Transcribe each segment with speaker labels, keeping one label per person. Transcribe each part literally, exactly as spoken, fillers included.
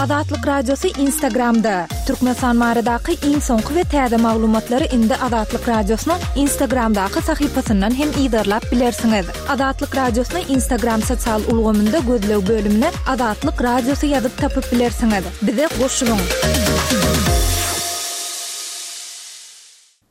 Speaker 1: Azatlyk Radiosy Instagramda. Türkmenistan baradaky iň soňky we täze maglumatlary indi Azatlyk Radiosynyň Instagramdaky sahypasyndan hem yzarlap bilersiňiz. Azatlyk Radiosyny Instagram sosial ulgamynda gözleg bölümine Azatlyk Radiosy ýazyp tapyp bilersiňiz. Bize goşulyň.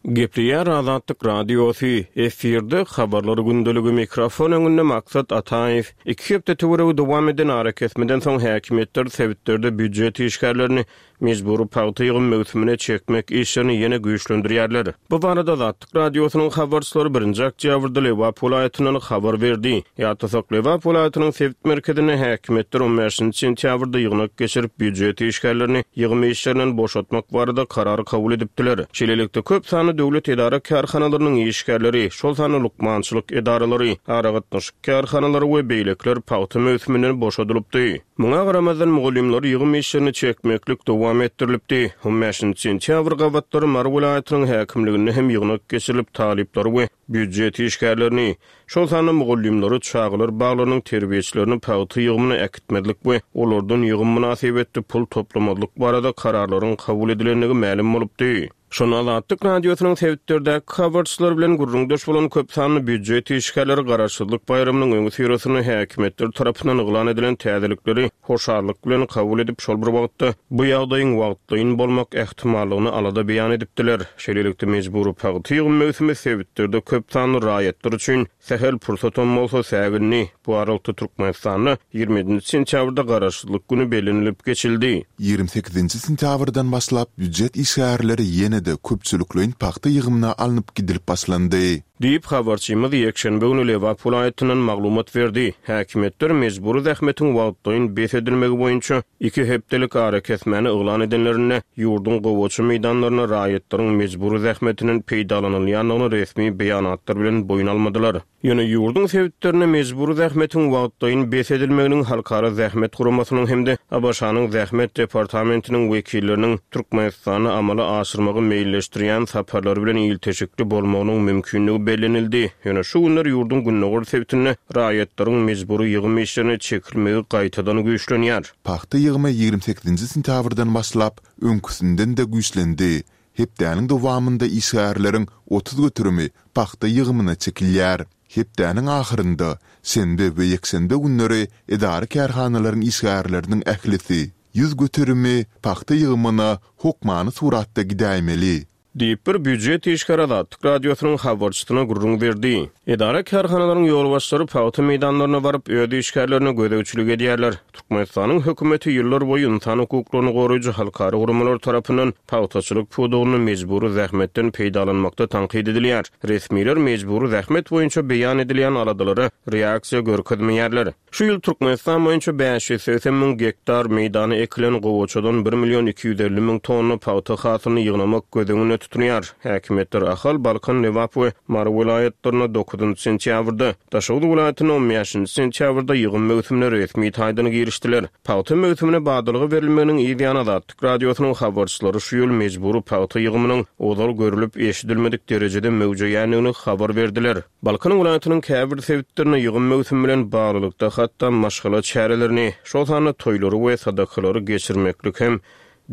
Speaker 2: Gepleýär Azatlyk Radiosy, efirde habarlar gündeligi mikrofon öňünde Maksat Ataýew. Iki hepde töweregi dowam eden arakesmeden soň häkimiýetler sebitlerde býujet işgärlerini mejbury pagta ýygym möwsümine çekmek işlerini ýene güýçlendirýärler. Bu barada Azatlyk Radiosynyň habarçylary birinji oktýabrda Lebap welaýatyndan habar berdi. Ýatlasak, Lebap welaýatynyň sebit merkezinde häkimiýetler on bäşinji sentýabrda ýygnak geçirip, býujet işgärlerini ýygym işlerinden boşatmak barada karar kabul edipdiler. Şeýlelikde, köp sanly döwlet edara kärhanalarynyň işgärleri, şol sanda lukmançylyk edaralary, aragatnaşyk kärhanalary we beýlekiler pagta möwsüminden boşadylypdy. Muňa garamazdan, mugallymlar ýygym işlerini çekmeklik dowam etdirilipdi. On bäşinji sentýabr gabatlary Mary welaýatynyň häkimliginde hem ýygnak geçirilip, talyplary we býujet işgärlerini, şol sanda mugallymlary, çagalar baglarynyň terbiýeçilerini pagta ýygymyna äkitmezlik we olardan ýygym mynasybetli pul toplamazlyk barada kararlaryň kabul edilendigi mälim bolupdy. Şonda Azatlyk Radiosynyň sebitlerdäki habarçylary bilen gürrüňdeş bolan köp sanly býujet işgärleri Garaşsyzlyk baýramynyň öňüsyrasynda häkimiýetler tarapyndan yglan edilen täzelikleri hoşallyk bilen kabul edip, şol bir wagtda bu ýagdaýyň wagtlaýyn bolmak ähtimallygyny alada beýan edipdiler. Şeýlelikde, mejbury pagta ýygym möwsümi sebitlerde köp sanly raýatlar üçin sähel pursatam bolsa sägindi. Bu aralykda Türkmenistanda ýigrimi ýedinji sentýabrda Garaşsyzlyk güni bellenilip geçildi.
Speaker 3: Ýigrimi sekizinji sentýabrdan başlap býujet işgärleri ýene-de köpçülikleýin pagta ýygymyna alnyp gidilip başlandy.
Speaker 2: Diýip, habarçymyz ýekşenbe güni Lebap welaýatyndan maglumat berdi. Häkimiýetler mejbury zähmetiň wagtlaýyn bes edilmegi boýunça iki hepdelik arakesmäni yglan edenlerinde, ýurduň gowaça meýdanlarynda raýatlaryň mejbury zähmetinden peýdalanylýandygyny resmi beýanatlar bilen boýun almadylar. Ýöne ýurduň sebitlerinde mejbury zähmetiň wagtlaýyn bes edilmeginiň Halkara zähmet guramasynyň hem-de A B Ş-nyň Zähmet departamentiniň wekilleriniň Türkmenistanda amala aşyrmagy meýilleşdirýän saparlary bilen ilteşikli bolmagynyň mümkinligi bellenildi. Ýöne şu günler ýurduň gündogar sebitinde raýatlaryň mejbury ýygym işlerine çekilmegi gaýtadan güýçlenýär.
Speaker 3: Pagta ýygymy ýigrimi sekizinji sentýabrdan başlap öňküsinden-de güýçlendi. Hepdäniň dowamynda işgärleriň otuz göterimi pagta ýygymyna çekilýär. Hepdäniň ahyrynda şenbe we ýekşenbe günleri edara kärhanalaryň işgärleriniň ählisi ýüz göterimi pagta ýygymyna hokmany suratda gidäýmeli.
Speaker 2: Diýip bir býujet işgäri Azatlyk Radiosynyň habarçysyna gürrüň berdi. Edara kärhanalaryň ýolbaşçylary pagta meýdanlaryna baryp, öz işgärlerine gözegçilik edýärler. Türkmenistanyň hökümeti ýyllar boýy insan hukuklaryny goraýjy halkara guramalar tarapyndan pagtaçylyk pudagynda mejbury zähmetden peýdalanmakda tankyt edilýär. Resmiler mejbury zähmet boýunça beýan edilýän aladalara reaksiýa görkezmeýärler. Şu ýyl Türkmenistan boýunça bäş ýüz segsen müň gektar meýdany ekilen gowaçadan bir million iki ýüz elli müň tonna pagta hasylyny ýygnamak göz öňünde tutulýar. Häkimiýetler Ahal, Balkan, Lebap we Mary welaýatlarynda dokuzynjy sentýabrda, Daşoguz welaýatynda on bäşinji sentýabrda ýygym möwsümine resmi taýdan girişdiler. Pagta möwsümine badalga berilmeginiň yz ýany Azatlyk Radiosynyň habarçylary şu ýyl mejbury pagta ýygymynyň ozal görülip eşidilmedik derejede möwjeýändigini habar berdiler. Balkan welaýatynyň käbir sebitlerinde ýygym möwsümi bilen baglylykda hatda maşgala çärelerini, şol sanda toýlary we sadakalary geçirmeklik hem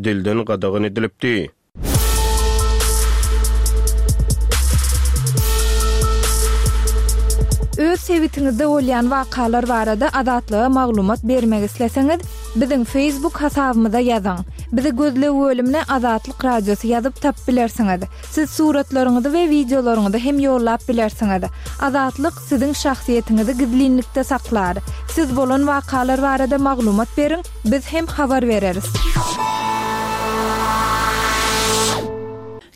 Speaker 2: dilden gadagan edilipdi.
Speaker 1: Öz sebitiňizde bolýan wakalar barada Azatlyga maglumat bermek isleseňiz, biziň Facebook hasabymyza ýazyň. Bizi gözleg bölümine Azatlyk Radiosy ýazyp tap bilersiňiz. Siz suratlaryňyzy we wideolaryňyzy hem ýollap bilersiňiz. Azatlyk siziň şahsyýetiňizi gizlinlikde saklar. Siz bolan wakalar barada maglumat beriň, biz hem habar bereris.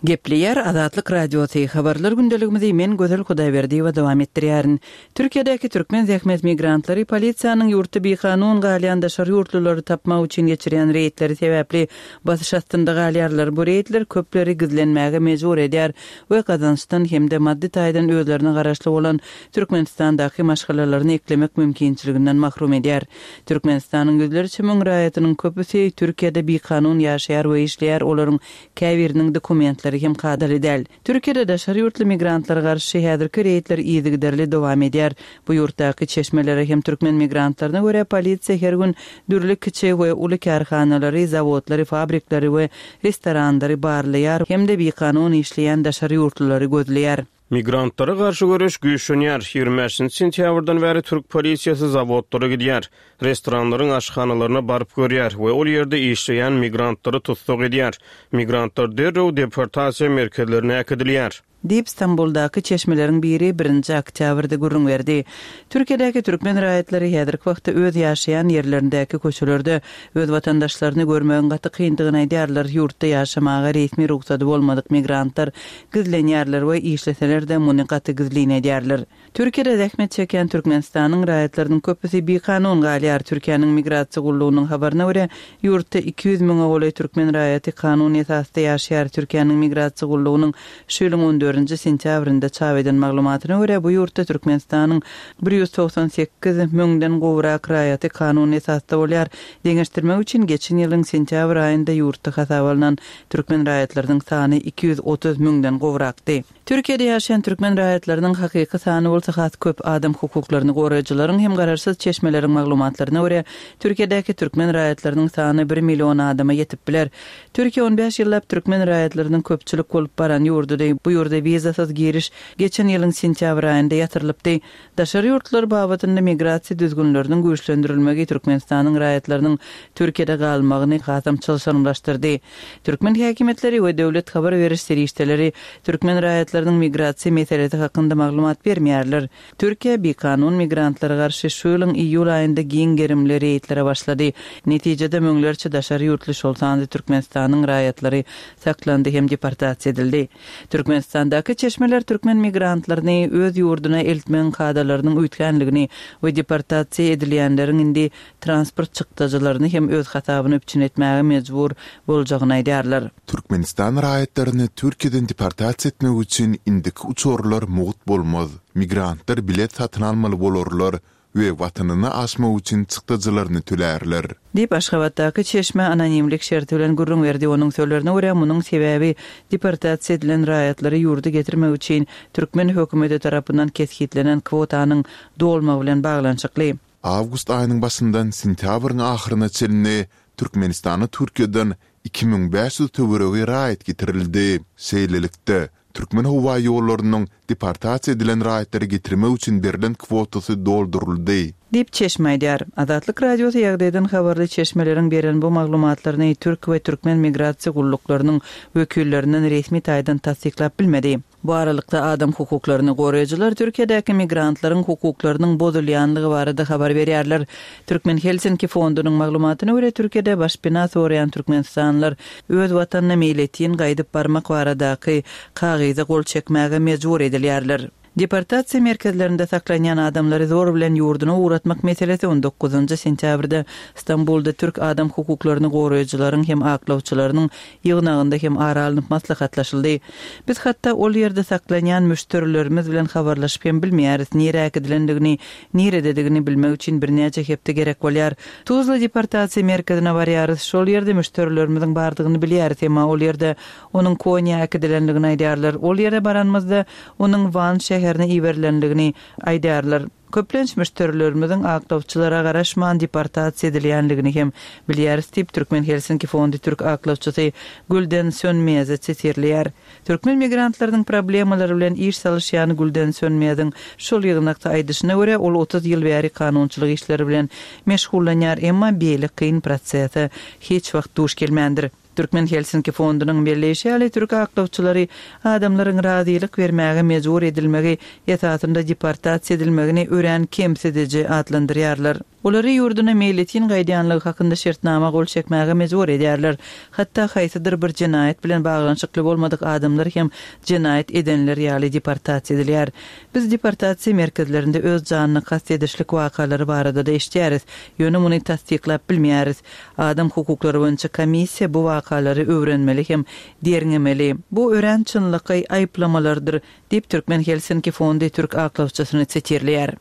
Speaker 4: Gepleýär Azatlyk Radiosy. Habarlar gündeligimizi men Gözel Hudaýberdiýewa dowam etdirýärin. Türkiýedäki türkmen zähmet migrantlary polisiýanyň ýurtda bikanun galýan daşary ýurtlulary tapmak üçin geçirýän reýdleri sebäpli basyş astynda galýarlar. Bu reýdler köpleri gizlenmäge mejbur edýär we gazançdan hem-de maddy taýdan özlerine garaşly bolan Türkmenistandaky maşgalalaryny eklemek mümkinçiliginden mahrum edýär. Türkmenistanyň ýüzlerçe müň raýatynyň köpüsi Türkiýede bikanun ýaşaýar we işleýär, olaryň käbiriniň dokumentleri şertleri hem kadaly däl. Türkiýede daşary ýurtly migrantlara garşy häzirki reýdler yzygiderli dowam edýär. Bu ýurtdaky çeşmelere hem türkmen migrantlaryna görä polisiýa her gün dürli kiçi we uly kärhanalary, zawodlary, fabrikleri we restoranlary barlaýar hem-de bikanun işleýän daşary ýurtlulary gözleýär.
Speaker 2: Migrantlara garşy göreş güýçlenýär. Ýigrimi bäşinji sentýabrdan bäri türk polisiýasy zawodlara gidýär. Restoranlaryň aşhanalaryna baryp görýär we ol ýerde işleýän migrantlary tussag edýär. Migrantlar derrew deportasiýa merkezlerine äkidilýär.
Speaker 4: Diýip, Stambuldaky çeşmeleriň biri birinji oktýabrda gürrüň berdi. Türkiýedäki türkmen raýatlary häzirki wagtda öz ýaşaýan ýerlerindäki köçelerde öz watandaşlaryny görmegiň gaty kyndygyny aýdýarlar. Ýurtda ýaşamaga resmi rugsady bolmadyk migrantlar gizlenýärler we işleseler-de muny gaty gizlin edýärler. Türkiýede zähmet çekýän Türkmenistanyň raýatlarynyň köpüsi bikanun galýar. Türkiýäniň migrasiýa gullugynyň habaryna görä, ýurtda iki ýüz müňe golaý türkmen raýaty kanun esasda ýaşaýar. Türkiýäniň migrasiýa gullugynyň şu ýylyň on dördünji sentýabrynda çap eden maglumatyna görä, bu ýurtda Türkmenistanyň bir ýüz togsan sekiz müňden gowrak raýaty kanun esasda bolýar. Deňeşdirmek üçin geçen ýylyň sentýabr aýynda ýurtda hasaba alnan türkmen raýatlarynyň sany iki ýüz otuz müňden gowrakdy. Türkiýede ýaşaýan türkmen raýatlarynyň hakyky sany bolsa has köp. Adam hukuklaryny goraýjylaryň hem garaşsyz çeşmeleriň maglumatlaryna görä, Türkiýedäki türkmen raýatlarynyň sany bir million adama ýetip biler. Türkiýe on bäş ýyllap türkmen raýatlarynyň köpçülik bolup baran ýurdudy. Bu ýurda wizasyz giriş geçen ýylyň sentýabr aýynda ýatyrylypdy. Daşary ýurtlar babatynda migrasiýa düzgünleriniň güýçlendirilmegi Türkmenistanyň raýatlarynyň Türkiýede galmagyny hasam çylşyrymlaşdyrdy. Türkmen häkimiýetleri we döwlet habar beriş serişdeleri türkmen raýatlarynyň migrasiýa meselesi hakynda maglumat bermeýärler. Türkiýe bikanun migrantlara garşy şu ýylyň iýul aýynda giň gerimli reýdlere başlady. Netijede müňlerçe daşary ýurtly, şol sanda Türkmenistanyň raýatlary saklandy hem deportasiýa edildi. Türkmenistandaky çeşmeler türkmen migrantlaryny öz ýurduna eltmegiň kadalarynyň üýtgänligini we deportasiýa edilýänleriň indi transport çykdajylaryny hem öz hasabyna üpjün etmäge mejbur boljagyny aýdýarlar.
Speaker 3: Türkmenistan raýatlaryny Türkiýeden deportasiýa etmek üçin indiki uçarlar mugt bolmaz. Migrantlar bilet satyn almaly bolarlar we watanyna aşmak üçin çykdajylaryny tölärler.
Speaker 4: Diýip, Aşgabatdaky çeşme anonimlik şerti bilen gürrüň berdi. Onuň sözlerine görä, munuň sebäbi deportasiýa edilen raýatlary ýurda getirmek üçin türkmen hökümeti tarapyndan kesgitlenen kwotanyň dolmagy bilen baglanyşykly.
Speaker 3: Awgust aýynyň başyndan sentýabryň ahyryna çenli Türkmenistana Türkiýeden iki müň bäş ýüz töweregi raýat getirildi. Şeýlelikde, Türkmen howa ýollarynyň deportasiýa edilen raýatlary getirmek üçin berlen kwotasy dolduryldy.
Speaker 4: Diýip çeşme aýdýar. Azatlyk Radiosy ýagdaýdan habarly çeşmeleriň beren bu maglumatlaryny türk we türkmen migrasiýa gulluklarynyň wekillerinden resmi taýdan tassyklap bilmedi. Bu aralykda adam hukuklaryny goraýjylar Türkiýedäki migrantlaryň hukuklarynyň bozulýanlygy barada habar berýärler. Türkmen Helsinki fondunyň maglumatyna görä, Türkiýede başpena soraýan türkmenistanlylar öz watanyna meýletin gaýdyp barmak baradaky kagyza gol çekmäge mejbur edilýärler. Deportasiýa merkezlerinde saklanýan adamlary zor bilen ýurduna ugratmak meselesi on dokuzynjy sentýabrda Stambulda türk adam hukuklaryny goraýjylaryň hem aklawçylarynyň ýygnagynda hem ara alnyp maslahatlaşyldy. Biz hatda ol ýerde saklanýan müşderilerimiz bilen habarlaşyp hem bilmeýäris, nirä äkidilendigini, nirededigini bilmek üçin birnäçe hepde gerek bolýar. Tuzla deportasiýa merkezine barýarys, şol ýerde müşderilerimiziň bardygyny bilýäris, emma ol ýerde onuň Konýa äkidilendigini aýdýarlar. Ol ýere baranymyzda onuň Wan şäherine iberilendigini aýdýarlar. Köplenç müşderilerimiziň aklawçylara garaşman deportasiýa edilýänligini hem bilýäris diýip, Türkmen Helsinki fondy türk aklawçysy Gülden Sönmezi sitirleýär. Türkmen migrantlarynyň problemalary bilen iş salyşýan Gülden Sönmeziň şol ýygnakda aýdyşyna görä, ol otuz ýyl bäri kanunçylyk işleri bilen meşgullanýar, emma beýle kyn prosese hiç wagt duş gelmändir. Türkmen Helsinki fondunyň belleýşi ýaly, türk aklawçylary adamlaryň razylyk bermäge mejbur edilmegi esasynda deportasiýa edilmegini örän kemsidiji atlandyrýarlar. Olary ýurduna meýletin gaýdýanlygy hakynda şertnama gol çekmäge mejbur edýärler. Hatda haýsydyr bir jenaýat bilen baglanyşykly bolmadyk adamlar hem jenaýat edenler ýaly deportasiýa edilýär. Biz deportasiýa merkezlerinde öz janyny kast edişlik wakalary barada da eşidýäris, ýöne muny tassyklap bilmeýäris. Adam hukuklary boýunça komissiýa bu wakalary öwrenmeli hem derňemeli. Bu örän çynlakaý aýyplamalardyr, diýip Türkmen Helsinki fondy türk aklawçysyny sitirleýär.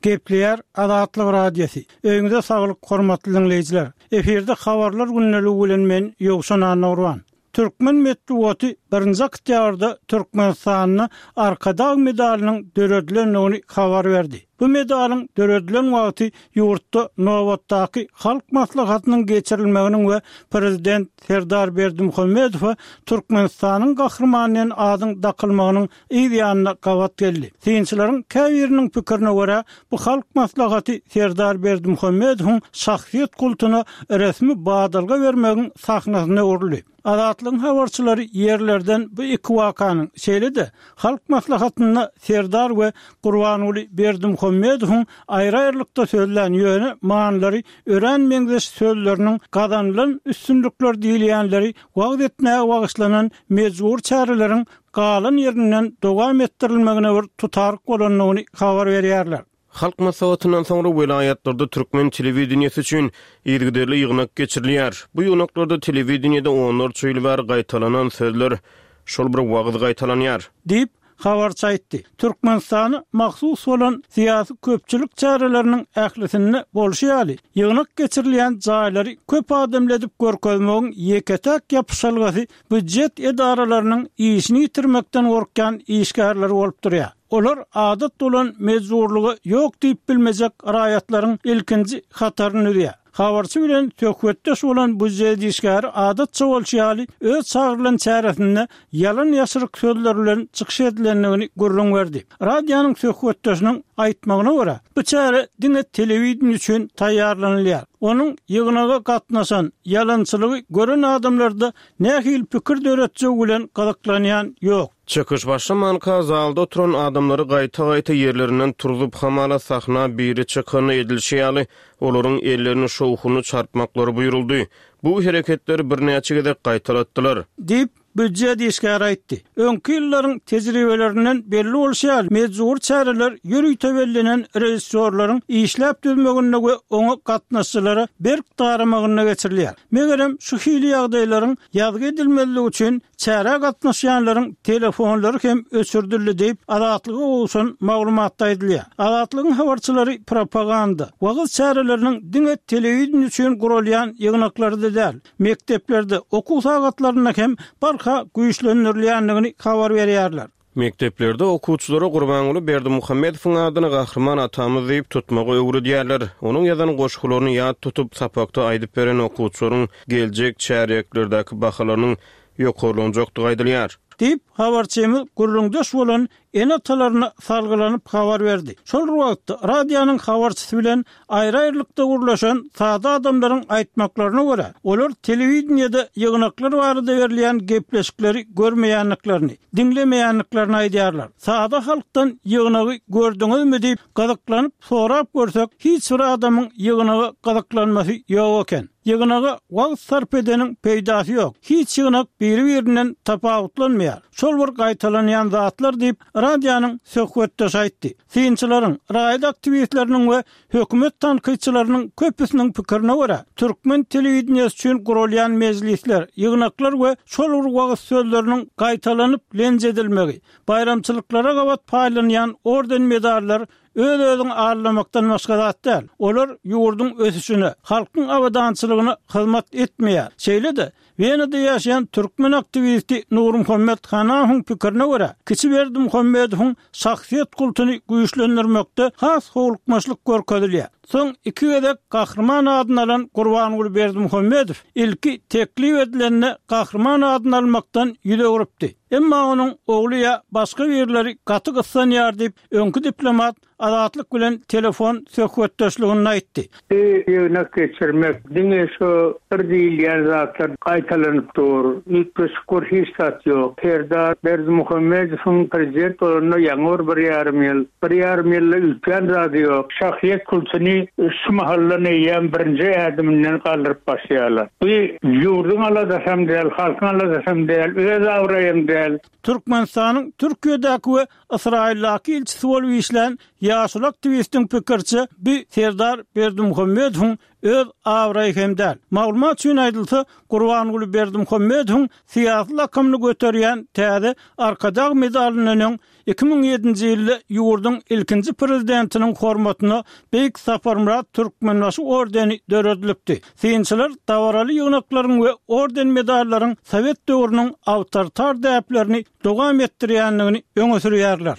Speaker 5: Gepleýär Azatlyk Radiosy. Öýüňize saglyk hormatly diňleýjiler. Efirde habarlar gündeligi bilen men Ýowşan Annagurban. Türkmen metbugaty birinji oktýabrda Türkmenistanda Arkadag medalynyň döredilendigini habar berdi. Bu medalyň döredilen wagty ýurtda nobatdaky Halk Maslahatynyň geçirilmeginiň we Prezident Serdar Berdimuhamedowa Türkmenistanyň Gahrymany diýen adyň dakylmagynyň yz ýanyna gabat geldi. Synçylaryň käbiriniň pikirine görä, bu Halk Maslahaty Serdar Berdimuhamedowyň şahsyýet kultuna resmi badalga bermegiň sahnasyna öwrüldi. Azatlygyň habarçylary ýerlerden bu iki wakanyň, şeýle-de Halk Maslahatynda Serdar we Gurbanguly Berdimuhamedowyň aýry-aýrylykda sözlän, ýöne manylary örän meňzeş sözleriniň gazanylan üstünlikler diýilýänleri wagyz etmäge bagyşlanan mejbury çäreleriň galan ýerinden dowam etdirilmegine bir tutaryk bolandygyny habar berýärler.
Speaker 2: Halk Maslahatyndan soňra welaýatlarda türkmen telewideniýesi üçin yzygiderli ýygnak geçirilýär. Bu ýygnaklarda telewideniýede onlarça ýyl bäri gaýtalanan sözler, şol bir wagyz gaýtalanýar.
Speaker 5: Diýip, habarçy aýtdy. Türkmenistana mahsus bolan syýasy köpçülik çäreleriniň ählisinde bolşy ýaly, ýygnak geçirilýän jaýlary köp adamly edip görkezmegiň ýeke-täk ýapyşalgasy býujet edaralarynyň işini ýitirmekden gorkýan işgärleri bolup durýar. Olar adat bolan mejburlyga ýok diýip bilmejek raýatlaryň ilkinji hataryny düzýär. Habarçy bilen söhbetdeş bolan býujet işgäri adatça bolşy ýaly öz çagyrylan çäresinde ýalan-ýaşryk sözler bilen çykyş edilendigini gürrüň berdi. Radionyň söhbetdeşiniň aýtmagyna görä, bu çäre diňe telewideniýe üçin taýýarlanylýar. Onuň ýygnaga gatnaşan, ýalançylygy gören adamlarda nähili pikir döretjegi bilen gyzyklanýan ýok.
Speaker 2: Çykyş başlamanka zalda oturan adamlary gaýta-gaýta ýerlerinden turzup, hamala sahna biri çykanda edilişi ýaly, olaryň ellerini şowhunly çarpmaklary buýruldy. Bu hereketleri birnäçe gezek gaýtalatdylar.
Speaker 5: Diýip, býujet işgäri aýtdy. Öňki ýyllaryň tejribelerinden belli bolşy ýaly, mejbury çäreler ýörite bellenen režissýorlaryň işläp düzmeginde we oňa gatnaşyjylara berk daramagynda geçirilýär. Megerem şu hili ýagdaýlaryň ýazgy edilmezligi üçin çärä gatnaşýanlaryň telefonlary hem öçürdildi diýip, Azatlyga gowşan maglumatda aýdylýar. Azatlygyň habarçylary propaganda, wagyz çäreleriniň diňe telewideniýe üçin guralýan ýygnaklarda däl, mekdeplerde, okuw sagatlarynda hem barha güýçlendirilýändigini habar berýärler.
Speaker 2: Mekdeplerde okuwçylara Gurbanguly Berdimuhamedowyň adyny Gahryman atamyz diýip tutmagy öwredýärler. Onuň ýazan goşgularyny ýat tutup, sapakda aýdyp beren okuwçylaryň geljek çärýeklerdäki bahalarynyň ýokarlanjakdygy aýdylýar.
Speaker 5: Diýip, habarçymyz gürrüňdeş bolan ene-atalaryna salgylanyp habar berdi. Şol bir wagtda radionyň habarçysy bilen aýry-aýrylykda gürleşen sada adamlaryň aýtmaklaryna görä, olar telewideniýede ýygnaklar barada berilýän gepleşikleri görmeýändiklerini, diňlemeýändiklerini aýdýarlar. Sada halkdan ýygnagy gördüňizmi diýip gyzyklanyp sorap görsek, hiç bir adamyň ýygnaga gyzyklanmasy ýok eken. Ýygnaga wagt sarp edeniň peýdasy ýok. Hiç ýygnak biri-birinden tapawutlanmaýar. Şol bir gaýtalanýan zatlar diýip, radionyň söhbetdeşi aýtdy. Synçylaryň, raýat aktiwistleriniň we hökümet tankytçylarynyň köpüsiniň pikirine görä, türkmen telewideniýesi üçin guralýan mejlisler, ýygnaklar we şol bir wagyz sözleriniň gaýtalanyp lenç edilmegi, baýramçylyklara gabat paýlanýan orden-medallar öz-özüňi aldamakdan başga zat däl. Olar ýurduň ösüşine, halkyň abadançylygyna hyzmat etmeýär. Şeýle-de, Wenada ýaşaýan türkmen aktiwisti Nurmuhammet Hanahowyň pikirine görä, kiçi Berdimuhamedowyň şahsyýet kultuny güýçlendirmekde has howlukmaçlyk görkezilýär. Soň iki gezek Gahryman adyny alan Gurbanguly Berdimuhamedow ilki teklip edilende Gahryman adyny almakdan ýüz öwrüpdi. Emma onuň ogly ýa başga birleri gaty gyssanýar diýip, öňki diplomat Azatlyk bilen telefon söhbetdeşliginde aýtdy.
Speaker 6: Bu ýygnak geçirmek diňe şu bir diýilýän zatlar gaýtalanyp dur. Üýtgeşik bir hiç zat ýok. Serdar Berdimuhamedowyň prezident bolanyna ýaňy bir bir ýarym ýyl. Bir ýarym ýylda üýtgän zady ýok. Şahsyýet kultuny şu mahaldan eýýäm birinji ädiminden galdyryp başlaýarlar. Bu ýurduň aladasam däl, halkyň aladasam däl, öz abraýam däl.
Speaker 5: Türkmenistanyň Türkiýedäki we Ysraýyldaky ilçisi bolup işlän ýaşuly aktiwistiň pikiriçe, bu Serdar Berdimuhamedowyň öz abraýy hem däl. Maglumat üçin aýdylsa, Gurbanguly Berdimuhamedowyň syýasy lakamyny göterýän täze Arkadag medalyndan öň iki müň ýedinji ýylda ýurduň ilkinji prezidentiniň hormatyna Beýik Saparmyrat Türkmenbaşy ordeni döredilipdi. Synçylar dabaraly ýygnaklaryň we orden-medallaryň sowet döwrüniň awtoritar däplerini dowam etdirýändigini öňe sürýärler.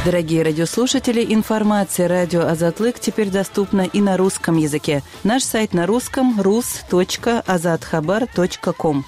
Speaker 4: Дорогие радиослушатели, информация радио Азатлык теперь доступна и на русском языке. Наш сайт на русском rus точка azathabar точка ком.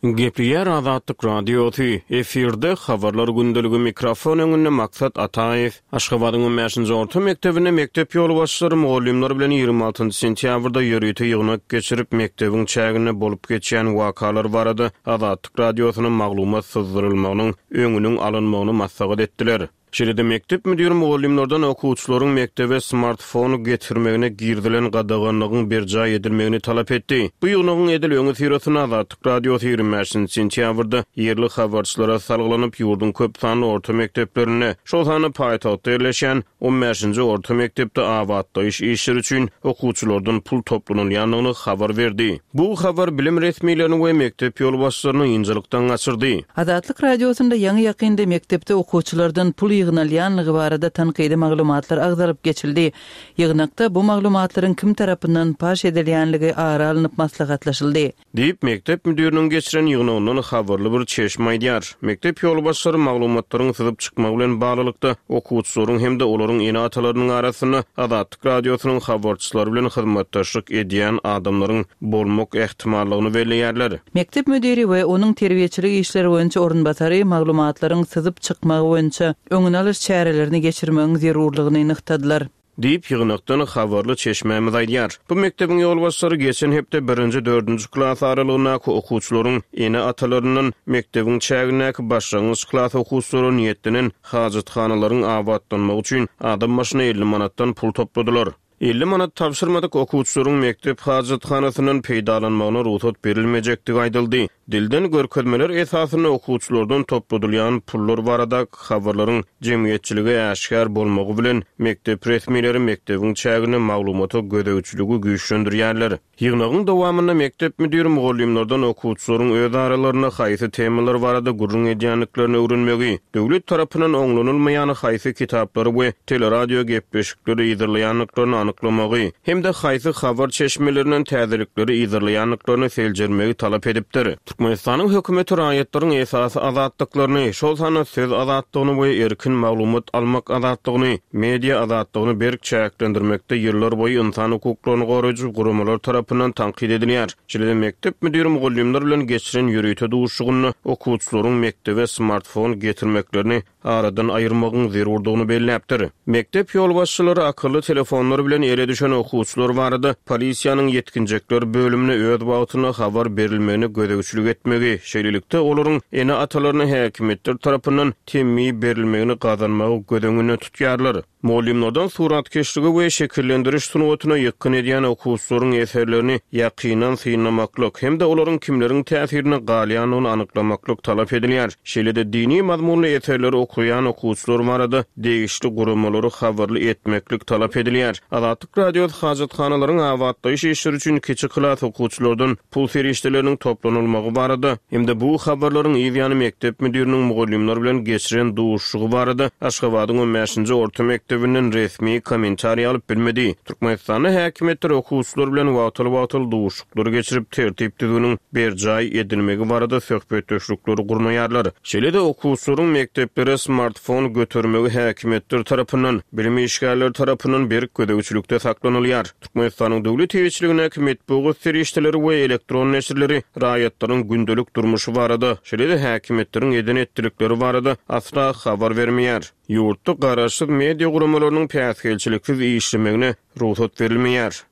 Speaker 2: Gepleýär Azatlyk Radiosy, efirde habarlar gündeligi mikrofon öňünde Maksat Ataýew. Aşgabadyň on bäşinji orta mekdebinde mekdep ýolbaşçylary mugallymlar bilen ýigrimi altynjy sentýabrda ýörite ýygnak geçirip, mekdebiň çäginde bolup geçýän wakalar barada Azatlyk Radiosyna maglumat syzdyrylmagynyň öňüniň alynmagyny maslahat etdiler. Şeýle-de mekdep müdiri mugallymlardan okuwçylaryň mekdebe smartfon getirmegine girizilen gadaganlygyň berjaý edilmegini talap etdi. Bu ýygnagyň edil öňi syrasynda Azatlyk Radiosy ýigrimi bäşinji sentýabrda ýerli habarçylara salgylanyp, ýurduň köp sanly orta mekdeplerinde, şol sanda paýtagtda ýerleşen on bäşinji orta mekdepde abatlaýyş işleri üçin okuwçylardan pul toplanylýandygyny habar berdi. Bu habar bilim resmilerini we mekdep ýolbaşçylaryny ynjalykdan gaçyrdy.
Speaker 4: Azatlyk Radiosynda ýaňy ýakynda mekdepde okuwçylardan pul ýygnalýanlygy barada tankydy maglumatlar agzalyp geçildi. Ýygnakda bu maglumatlaryň kim tarapyndan paş edilýänligi ara alnyp maslahatlaşyldy.
Speaker 2: Diýip, mekdep müdiriniň geçiren ýygnagyndan habarly bir çeşme aýdýar. Mekdep ýolbaşçylary maglumatlaryň syzyp çykmagy bilen baglylykda okuwçylaryň hem-de olaryň ene-atalarynyň arasynda Azatlyk Radiosynyň habarçylary bilen hyzmatdaşlyk edýän adamlaryň bolmak ähtimallygyny belleýärler.
Speaker 4: Mekdep müdiri we onuň terbiýeçilik işleri boýunça orunbasary maglumatlaryň syzyp çykmagy boýunça öňüni alyş çärelerini geçirmegiň zerurlygyny nygtadylar.
Speaker 2: Diýip, ýygnakdan habarly çeşmämiz aýdýar. Bu mekdebiň ýolbaşçylary geçen hepde birinji dördünji klas aralygyndaky okuwçylaryň ene-atalaryndan mekdebiň çägindäki başlangyç klas okuwçylara niýetlenen hajathanalaryň abatlanmagy üçin adam başyna elli manatdan pul topladylar. Elli manat tabşyrmadyk okuwçylaryň mekdep hajathanasyndan peýdalanmagyna rugsat berilmejekdigi aýdyldy. Dilden görkezmeler esasynda okuwçylardan topladylýan pullar barada habarlaryň jemgyýetçilige äşgär bolmagy bilen mekdep resmileri mekdebiň çäginde maglumata gözegçiligi güýçlendirýärler. Ýygnagyň dowamynda mekdep müdiri mugallymlardan okuwçylaryň öz aralarynda haýsy temalar barada gürrüň edýändiklerini öwrenmegi, döwlet tarapyndan oňlanylmaýan haýsy kitaplary we teleradio gepleşikleri yzarlaýandyklaryny anyklamagy hem-de haýsy habar çeşmelerinden täzelikleri yzarlaýandyklaryny seljermegi talap edipdir. Türkmenistanyň hökümeti raýatlaryň esasy azatlyklaryny, şol sanda söz azatlygyny we erkin maglumat almak azatlygyny, media azatlygyny berk çäklendirmekde ýyllar boýy insan hukuklaryny goraýjy guramalar tarapyndan tankyt edilýär. Şeýle-de mekdep müdiri mugallymlar bilen geçiren ýörite duşuşygynda okuwçylaryň mekdebe smartfon getirmeklerini aradan aýyrmagyň zerurdygyny belläpdir. Mekdep ýolbaşçylary akylly telefonlar bilen ele düşen okuwçylar barada polisiýanyň ýetginjekler bölümine öz wagtynda habar berilmegine gözegçilik etmegi, şeýlelikde olaryň ene-atalaryna häkimiýetler tarapyndan temmi berilmegini gazanmagy göz öňünde tutýarlar. Mugallymlardan suratkeşligi we şekillendiriş sungatyna ýykgyn edýän okuwçylaryň eserlerini ýakyndan synlamaklyk hem-de olaryň kimleriň täsirine galýandygyny anyklamaklyk talap edilýär. Şeýle-de dini mazmunly eserleri okaýan okuwçylar barada degişli guramalary habarly etmeklik talap edilýär. Azatlyk Radiosy hajathanalaryň abatlaýyş işleri üçin kiçi klas okuwçylardan pul serişdeleriniň toplanylmagy barada hem-de bu habarlaryň ýany mekdep müdiriniň mugallymlar bilen geçiren duşuşygy barada Aşgabadyň on bäşinji orta mekdebinden resmi kommentariý alyp bilmedi. Türkmenistanda häkimiýetler okuwçylar bilen wagtal-wagtal duşuşyklar geçirip, tertip düzgüniň berjaý edilmegi barada söhbetdeşlikleri gurnaýarlar. Şeýle-de okuwçylaryň mekdeplere smartfon götermegi häkimiýetler tarapyndan, bilim işgärleri tarapyndan berk gözegçilikde saklanylýar. Türkmenistanyň döwlet eýeçiligindäki metbugat serişdeleri we elektron neşirleri raýatlaryň gündelik durmuşy barada, şeýle-de häkimiýetleriň eden etdilikleri barada asla habar bermeýär. Ýurtda garaşsyz media guramalarynyň päsgelçiliksiz işlemegine rugsat berilmeýär.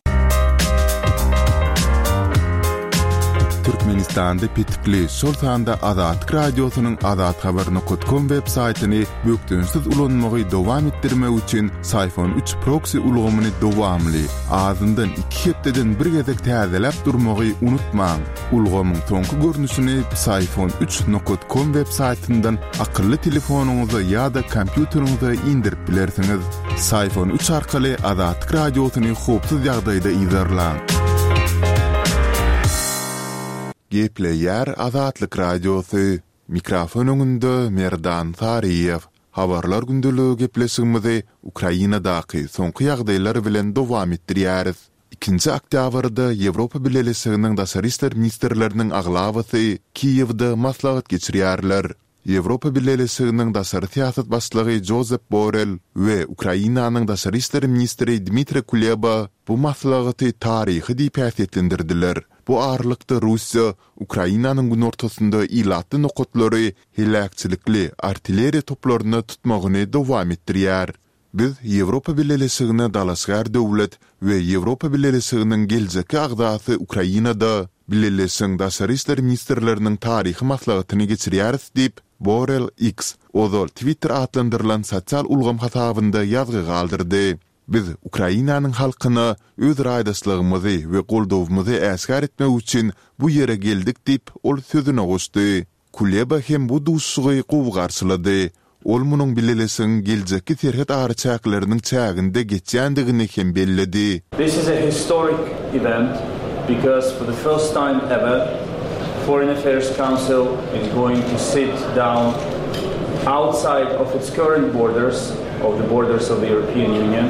Speaker 3: Türkmenistanda petikli, şol sanda Azatlyk Radiosynyň azathabar nokat kom web saýtyny bökdençsiz ulanmagy dowam etdirmek üçin Syfon üç proksi ulgamyny dowamly, azyndan iki hepdeden bir gezek täzeläp durmagy unutmaň. Ulgamyň soňky görnüşini Psiphon üç nokat kom web saýtyndan akylly telefonyňyza ýa-da kompýuteriňize indirip bilersiňiz. Psiphon üç arkaly Azatlyk Radiosyny howpsuz ýagdaýda yzarlaň. Gepleýär Azatlyk Radiosy. Mikrofon öňünde Merdan Saryýew. Habarlar gündeligi gepleşigimizi Ukrainadaky soňky ýagdaýlar bilen dowam etdirýäris. Ikinji oktýabrda Ýewropa Bileleşiginiň daşary işler ministrleriniň aglabasy Kiýewde maslahat geçirýärler. Ýewropa Bileleşiginiň daşary syýasat başlygy Jozep Borrel we Ukrainanyň daşary işler ministri Dmitriý Kuleba bu maslahaty taryhy diýip häsiýetlendirdiler. Bu aralykda Russiýa Ukrainanyň günortasynda ilatly nokatlary heläkçilikli artilleriýa toplaryna tutmagyny dowam etdirýär. Biz Ýewropa Bileleşigine dalaşgär döwlet we Ýewropa Bileleşiginiň geljekki agzasy Ukrainada Bileleşigiň daşary işler ministrleriniň taryhy maslahatyny geçirýäris diýip, Borrell X, ozal Twitter atlandyrylan sosial ulgam hasabynda ýazgy galdyrdy. Biz Ukrainanyň halkyna öz raýdaşlygymyzy we goldawymyzy äşgär etmek üçin bu ýere geldik diýip, ol sözüne goşdy. Kuleba hem bu duşuşygy gowy garşylady. Ol munuň bileleşigiň geljekki serhet araçäkleriniň çäginde geçýändigini hem belledi.
Speaker 7: This is a historic event because for the first time ever Foreign Affairs Council is going to sit down outside of its current borders, of the borders of the European Union.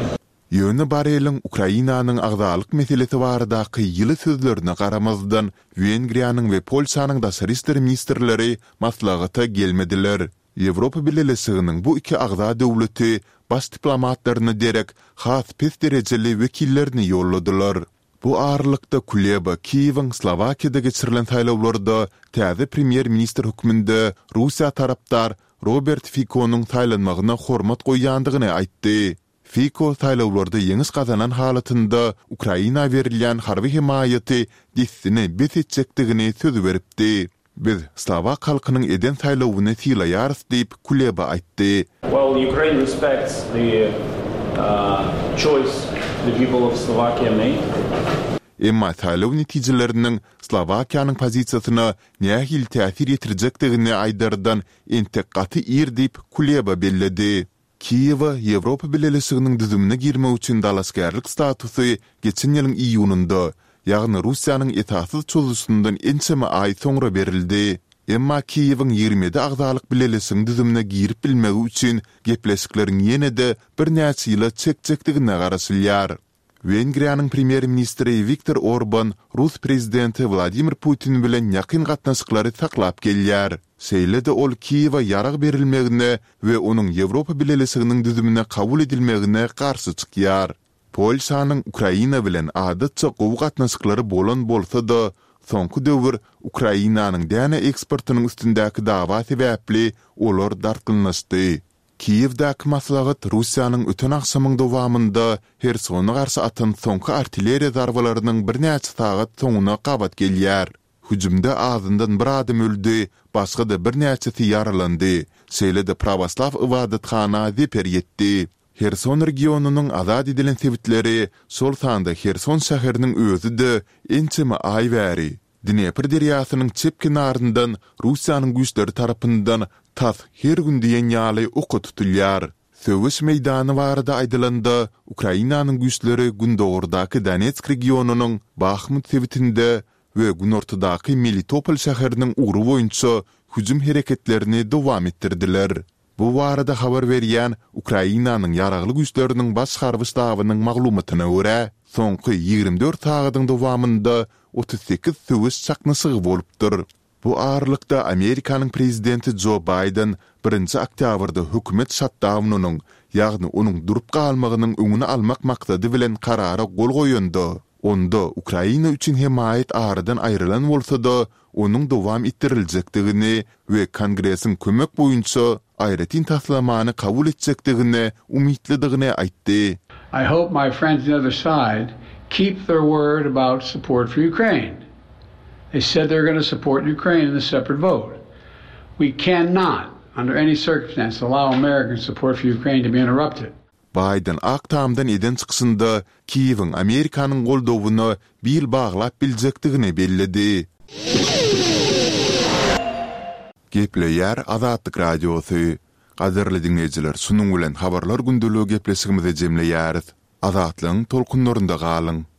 Speaker 3: Ýöne Borreliň Ukrainanyň agzalyk meselesi baradaky ýyly sözlerine garamazdan, Wengriýanyň we Polşanyň daşary işler ministrleri maslahata gelmediler. Ýewropa Bileleşiginiň bu iki agza döwleti baş diplomatlaryna derek has pes derejeli wekillerini ýolladylar. Bu aralykda Kuleba Kiýewiň Slowakiýada geçirilen saýlawlarda täze premýer-ministr hökmünde Russiýa tarapdar Robert Fikonyň saýlanmagyna hormat goýýandygyny aýtdy. Fiko saýlawlarda ýeňiş gazanan halatynda Ukraina berilýän harby hemaýaty dessine bes etjekdigini söz beripdi. Biz slowak halkynyň eden saýlawyny sylaýarys diýip, Kuleba aýtdy.
Speaker 7: Well, Ukraine respects the choice the people of Slovakia made.
Speaker 3: Emma saýlaw netijeleriniň Slowakiýanyň pozisiýasyna nähili täsir ýetirjekdigini aýdardan entek gaty ir diýip, Kuleba belledi. Kiýewe Ýewropa Bileleşiginiň düzümine girmek üçin dalaşgärlik statusy geçen ýylyň iýunynda, ýagny Russiýanyň esassyz çozuşyndan ençeme aý soňra berildi. Emma Kiýewiň ýigrimi ýedi agzalyk bileleşigiň düzümine girip bilmegi üçin gepleşikleriň ýene-de birnäçe ýyla çekjekdigine garaşylýar. Wengriýanyň premýer-ministri Wiktor Orban rus prezidenti Wladimir Putin bilen ýakyn gatnaşyklary saklap gelýär. Şeýle-de ol Kiýewe ýarag berilmegine we onuň Ýewropa Bileleşiginiň düzümine kabul edilmegine garşy çykýar. Polşanyň Ukraina bilen adatça gowy gatnaşyklary bolan bolsa-da, soňky döwür Ukrainanyň däne eksportynyň üstündäki dawa sebäpli olar dartgynlaşdy. Kiýewdäki maslahat Russiýanyň öten agşamyň dowamynda Hersona garşy atan soňky artilleriýa zarbalarynyň birnäçe sagat soňuna gabat gelýär. Hüjümde azyndan bir adam öldi, başga-da birnäçesi ýaralandy, şeýle-de prawoslaw ybadathana zeper ýetdi. Herson regionynyň azat edilen sebitleri, şol sanda Herson şäheriniň özi-de ençeme aý bäri Dnepr derýasynyň çep kenaryndan Russiýanyň güýçleri tarapyndan tas her gün diýen ýaly oka tutulýar. Söweş meýdany barada aýdylanda, Ukrainanyň güýçleri gündogardaky Donetsk regionynyň Bahmut sebitinde we günortadaky Melitopol şäheriniň ugry boýunça hüjüm hereketlerini dowam etdirdiler. Bu barada habar berýän Ukrainanyň Ýaragly Güýçleriniň Baş harby ştabynyň maglumatyna görä, soňky ýigrimi dört sagadyň dowamynda otuz sekiz söweş çaknyşygy bolupdyr. Bu aralykda, Amerikanyň prezidenti Jo Baýden birinji oktýabrda hökümet şatdaunynyň, ýagny onuň durup galmagynyň öňüni almak maksady bilen karara gol goýanda, onda Ukraina üçin hemaýat aradan aýrylan bolsa-da, onuň dowam etdiriljekdigini we Kongresiň kömek boýunça aýratyn taslamany kabul etjekdigine umytlydygyny aýtdy.
Speaker 8: I hope my friends on the other side keep their word about support for Ukraine. They said they're going to support Ukraine in a separate vote. We cannot, under any circumstance, allow American support for Ukraine to be interrupted.
Speaker 3: Baýden Ak Tamdan eden çykyşynda Kiýewiň Amerikanyň goldawyna bil baglap biljekdigini belledi. Gepleýär Azatlyk Radiosy. Gadyrly diňleýjiler, şunuň bilen Habarlar gündeligi gepleşigimizi jemleýäris. Azatlygyň tolkunlarynda galyň!